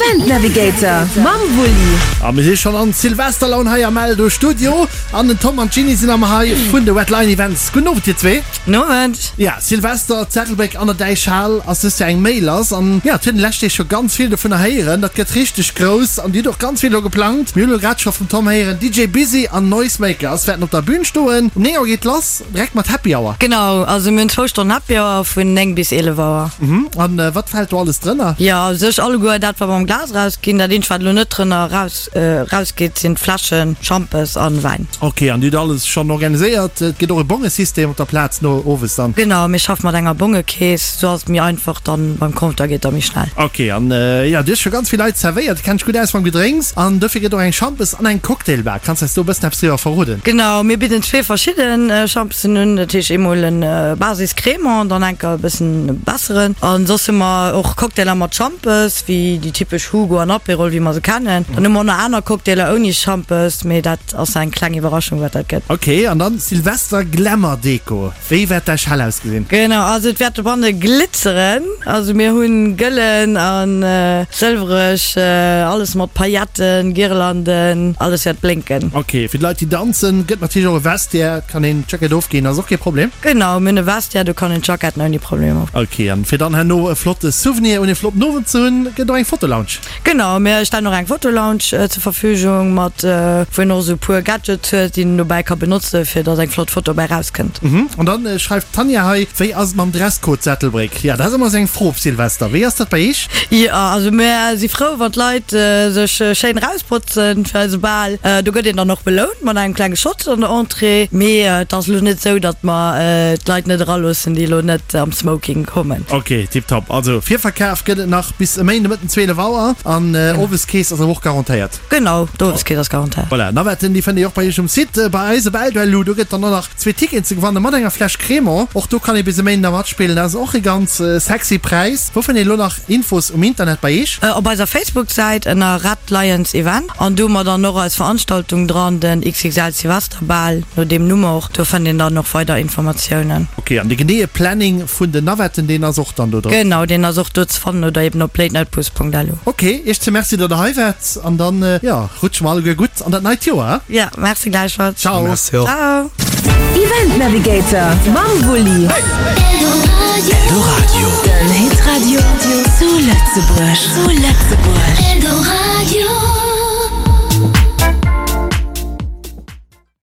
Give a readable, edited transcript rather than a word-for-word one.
Event Navigator mam Wulli. A mir si schonn an Silvesterlaun hei am Eldo Studio an den Tom an d'Jeanny sinn am hei vun de Red Lion Events. Gudden Owend dir zwee. Nowend. Ja, Silvester, Ettelbréck an der Däichhal ass dëst Joer eng Méi lass an ja, et huet een lescht Deeg scho ganz vill dovunner héieren. Dat gëtt richteg grouss an dir hutt och ganz vill elo geplangt. Mir hunn elo grad scho vum Tom héieren, DJ Busy an Noisemakers wäerten op der Bün stoen. Um 9 Auer geet lass, direkt mat Happy Hour. Genau, also mir hunn zwou Stonnen Happy Hour vun 9 bis 11 Auer. Mhm, an wat fält do alles drënner? Jo, u sech alleguer dat wat mer am Glas erausginn. Dat eenzegt wat elo net drënner eraus Raus geet sinn Fläschen Schampes an Wäin. Ok, an dir hutt alles schonn organiséiert? Et gëtt och e Bongesystem op der Plaz no owes dann? Genau, mir schaffe mat enger Bongekeess, sou ass et méi einfach dann beim Compteur geet da méi schnell. Ok, an jo, du hues scho ganz vill Leit zerwéiert, du kenns dech gutt aus mam Gedrénks an dofir gëtt och eng Schampes an eng Cocktailbar. Kanns eis do e bëssen eppes driwwer verroden? Genau, mir bidden zwee verschidde Schampesen un, dat heescht eemol en Basis Crémant, dann enker e bëssen besseren an soss hu mer och Cocktailer mat Schampes. Wéi déi typesch Hugo an Aperol, wéi mer se kennen. Dann hu mer och nach aner Cocktailer ouni Schampes, mee dat ass eng kleng Iwwerraschung, wat dat gëtt. Ok, an dann Silvester Glamour Deko. Wéi wäert däi Schal ausgesinn? Genau, also et wäert dobanne glitzeren. Also mir hunn gëllen a sëlwereg, alles mat Pailletten, Girlanden, alles wäert blénken. Ok, fir d'Leit déi danzen, gëtt natierlech och e Vestiaire, kann een d'Jackett ofginn, ass och kee Problem. Genau, mir hunn e Vestiaire, do kann een d'Jacketten ouni Problem of. Ok, an fir dann herno e flotte Souvenir un e flotten Owend ze hunn, gëtt och eng Fotolounge. Genau, mir stellen och eng Fotolounge zur Verfügung, mat wou een och esou e puer Gadgets huet, déi een dobäi ka benotzen, fir dass eng flott Foto bäi rauskënnt. Mhm, an dann schreift d'Tanja hei, Wéi ass et mam Dresscode Ettelbréck? Jo, dat ass ëmmer esou eng Fro op Silvester. Wéi ass dat bei iech? Jo, also mir si frou, wann d'Leit sech schéin erausbotzen fir eise Bal. Do gëtt een dann och belount mat engem klenge Shot an der Entrée. Mee et ass elo net esou, datt mer d'Leit net eraloossen, déi elo net am Smoking kommen. Ok, tiptop. Also Virverkaf gëtt et nach bis e Méinde Mëtten 12 Auer an Oweskeess ass awer och garantéiert. Genau, d'Oweskeess ass garantéiert. Voilà, Navetten déi fënnt dir och bei iech um Site. Bei eis op Elduellu, do gëtt dann och nach Zwee Ticketen ze gewannen mat enger Fläsch Crémant. Och do kann ee bis e Méinden da matspillen. Dat ass och e ganz sexy Präis. Wou fënnt een elo nach Infos um Internet bei iech? Op eiser Facebook-Säit ënner Red Lions Event an do hu mer dann och eis Veranstaltung dran, den XXL Silvesterbal, no deem Numm och. Do fënnt een dann och weider Informatiounen. Ok, an de geneeë Planning vun den Navetten, deen ass och dann do dran? Genau, deen ass och do ze fannen oder eben op latenightbus.lu. Ok, iech ze Merci, datt der hei waart an dann, jo, rutsche mer alleguer gutt an dat neit Joer. Ja, merci gläichfalls. Ciao. Merci och. Ciao. Event Navigator mam Wulli. Eldoradio. Den Hitradio zu Lëtzebuerg. Zu Lëtzebuerg.